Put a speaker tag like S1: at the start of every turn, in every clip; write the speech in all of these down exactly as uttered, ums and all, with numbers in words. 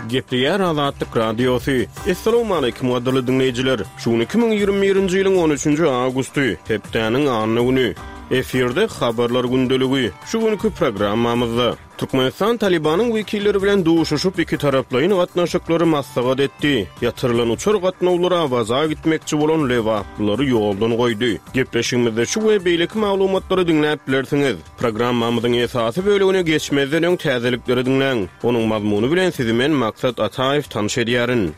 S1: Gepleýär Azatlyk Radiosy. Essalawmaleýkim gadyrly diňleýjiler! Şu gün iki müň ýigrimi birinji ýylyň on üçünji awgusty, hepdäniň anna güni. Efirde Habarlar gündeligi. Şu günki programmamyzda Türkmenistan Talybanyň wekilleri bilen duşuşyp, ikitaraplaýyn gatnaşyklary maslahat etdi. Ýatyrylan uçar gatnawlary Awaza gitmekçi bolan lebaplylary ýoldan goýdy. Gepleşigimizde şu we beýleki maglumatlary diňläp bilersiňiz. Programmamyzyň esasy bölegine geçmezden öň täzelikleri diňläň. Onuň mazmuny bilen sizi men Maksat Ataýew tanyş edýärin.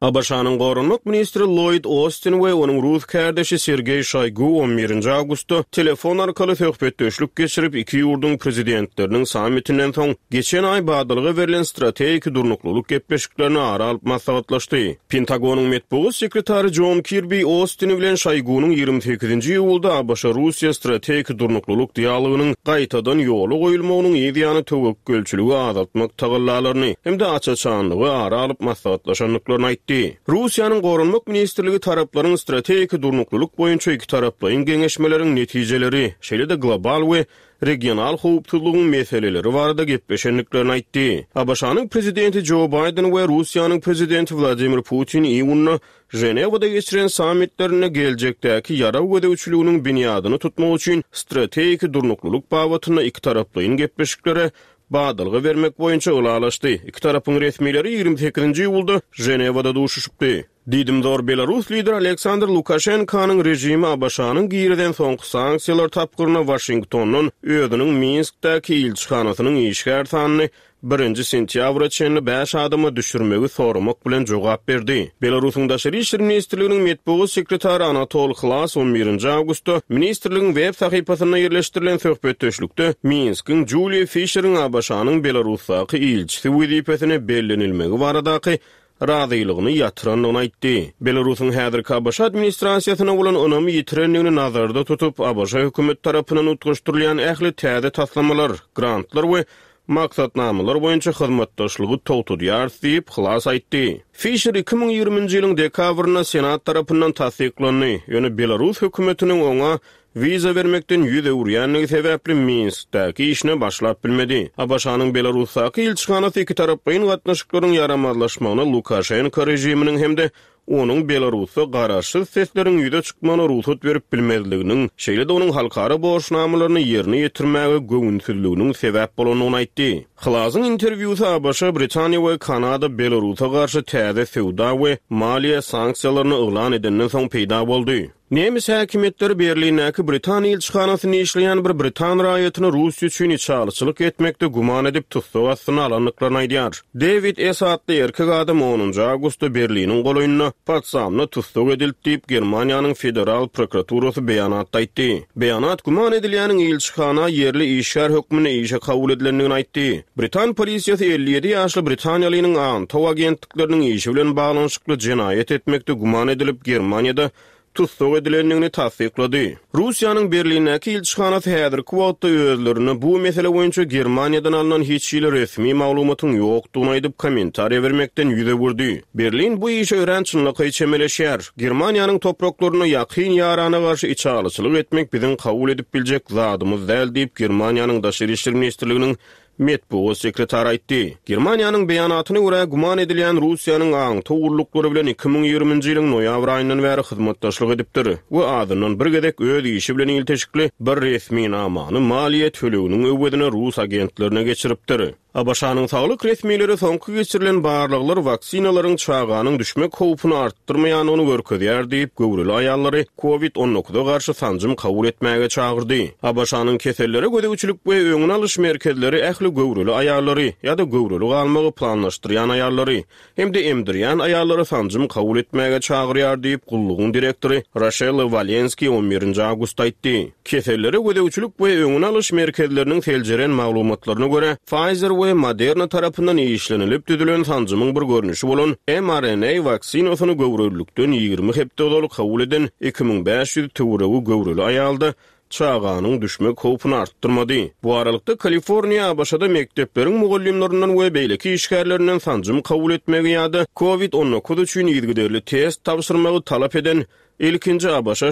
S1: ABŞ-nyň goranmak ministri Lloýd Ostin we onuň rus kärdeşi Sergeý Şoýgu on birinji awgustda telefon arkaly söhbetdeşlik geçirip, iki ýurduň prezidentleriniň sammitinden soň geçen aý badalga berlen strategik durnuklylyk gepleşiklerini ara alyp maslahatlaşdy. Pentagonyň metbugat sekretary Jon Kirbi Ostin bilen Şoýgunyň ýigrimi sekizinji iýulda ABŞ-Russiýa strategik durnuklylyk dialogynyň gaýtadan ýola goýulmagynyň yz ýany töwekgelçiligi azaltmak tagallalaryny hem-de aç-açanlygy ara alyp maslahatlaşandyklaryny aýtdy. Russiýanyň Goranmak ministrligi taraplaryň strategik durnuklylyk boýunça ikitaraplaýyn geňeşmeleriň netijeleri, şeýle-de global we regional howpsuzlygyň meseleleri barada gepleşendiklerini aýtdy. ABŞ-nyň prezidenti Jo Baýden we Russiýanyň prezidenti Wladimir Putin iýunda Ženewada geçiren sammitlerinde geljekdäki ýarag gözegçiliginiň binýadyny tutmak üçin strategik durnuklylyk babatynda ikitaraplaýyn gepleşiklere badalga bermek boýunça ylalaşdy. Iki tarapyň resmileri ýigrimi sekizinji iýulda Ženewada duşuşypdy. Diýdimzor belarus lideri Aleksandr Lukaşenkanyň režimi ABŞ-nyň girizen soňky sanksiýalar tapgyryna Waşingtondan özüniň Minskdäki ilçihanasynyň işgär sanyny birinji sentýabra çenli bäş adama düşürmegi soramak bilen jogap berdi. Belarusyň Daşary işler ministrliginiň metbugat sekretary Anatol Hlas on birinji awgustda ministrligiň web sahypasynda ýerleşdirilen söhbetdeşlikde Minskiň Juliýa Fişeriň ABŞ-nyň Belarusdaky ilçisi wezipesine bellenilmegi baradaky razylygyny ýatyrandygyny aýtdy. Belarusyň häzirki ABŞ administrasiýasyna bolan ynamy ýitirendigini nazarda tutup, ABŞ hökümet tarapyndan utgaşdyrylýan ähli täze taslamalar, grantlar we maksatnamalar boýunça hyzmatdaşlygy togtadýarys diýip, Hlas aýtdy. Fişer iki müň ýigriminji ýylyň dekabrynda Senat tarapyndan tassyklandy, ýöne Belarus hökümetiniň oňa wiza bermekden ýüz öwürýändigi sebäpli Minskdäki işine başlap bilmedi. ABŞ-nyň Belarusdaky ilçihanasy ikitaraplaýyn gatnaşyklaryň ýaramazlaşmagyna Lukaşenko režiminiň hem-de onuň Belarusda garaşsyz sesleriň ýüze çykmagyna rugsat berip bilmezliginiň, şeýle-de onuň halkara borçnamalaryny ýerine ýetirmäge göwünsizliginiň sebäp bolandygyny aýtdy. Hlazyň interwýusy ABŞ, Britaniýa we Kanada Belarusa garşy täze söwda we maliýe sanksiýalaryny yglan edenden soň peýda boldy. Nemes häkimiýetleri Berlindäki Britan ilçihanasynda işleýän bir britan raýatyny Russiýa üçin içalyçylyk etmekde güman edip tussag astyna alandyklaryny aýdýar. Dewid S. atly erkek adam onunjy awgustda Berliniň golaýynda Potsdamda tussag edildi diýip, Germaniýanyň Federal prokuraturasy beýanatda aýtdy. Beýanat güman edilýäniň ilçihana ýerli işgär hökmünde işe kabul edilendigini aýtdy. Britan polisiýasy elli ýedi ýaşly britaniýalynyň aňtaw agentlikleriniň işi bilen baglanyşykly jenaýat etmekde güman edilip, Germaniýada tussag edilendigini tassyklady. Russiýanyň Berlindäki ilçihanasy häzirki wagtda özlerine bu mesele boýunça Germaniýadan alnan hiç hili resmi maglumatyň ýokdugyny aýdyp, kommentariýa bermekden ýüz öwürdi. Berlin bu işe örän çynlakaý çemeleşýär. Germaniýanyň topraklarynda ýakyn ýarana garşy içalyçylyk etmek biziň kabul edip biljek zadymyz däl diýip, Germaniýanyň Daşary işler ministrliginiň metbugat sekretary aýtdy. Germaniýanyň beýanatyna görä, güman edilýän Russiýanyň aňtaw gulluklary bilen iki müň ýigriminji ýylyň noýabr aýyndan bäri hyzmatdaşlyk edipdir we azyndan bir gezek öz işi bilen ilteşikli bir resminamany maliýe töleginiň öwezine rus agentlerine geçiripdir. ABŞ-nyň saglyk resmileri soňky geçirilen barlaglar waksinalaryň çaganyň düşmek howpuny artdyrmaýandygyny görkezýär diýip, göwreli aýallary kovid on dokuza garşy sanjym kabul etmäge çagyrdy. ABŞ-nyň kesellere gözegçilik we öňüni alyş merkezleri ähli göwreli aýallary ýa-da göwreli galmagy planlaşdyrýan aýallary hem-de emdirýän aýallary sanjym kabul etmäge çagyrýar diýip, gullugyň direktory Roşella Walenskiý on birinji awgustda aýtdy. Kesellere gözegçilik we öňüni alyş merkezleriniň seljeren maglumatlaryna görä, Pfizer we Moderna tarapyndan işlenilip düzülen sanjymyň bir görnüşi bolan mRNA waksinasyny göwrelilikden ýigrimi hepde ozal kabul eden iki müň bäş ýüz töweregi göwreli aýalda çaganyň düşmek howpuny artdyrmady. Bu aralykda Kaliforniýa ABŞ-da mekdepleriň mugallymlaryndan we beýleki işgärlerinden sanjym kabul etmegi ýa-da kovid on dokuz üçin yzygiderli test tabşyrmagy talap eden ilkinji ABŞ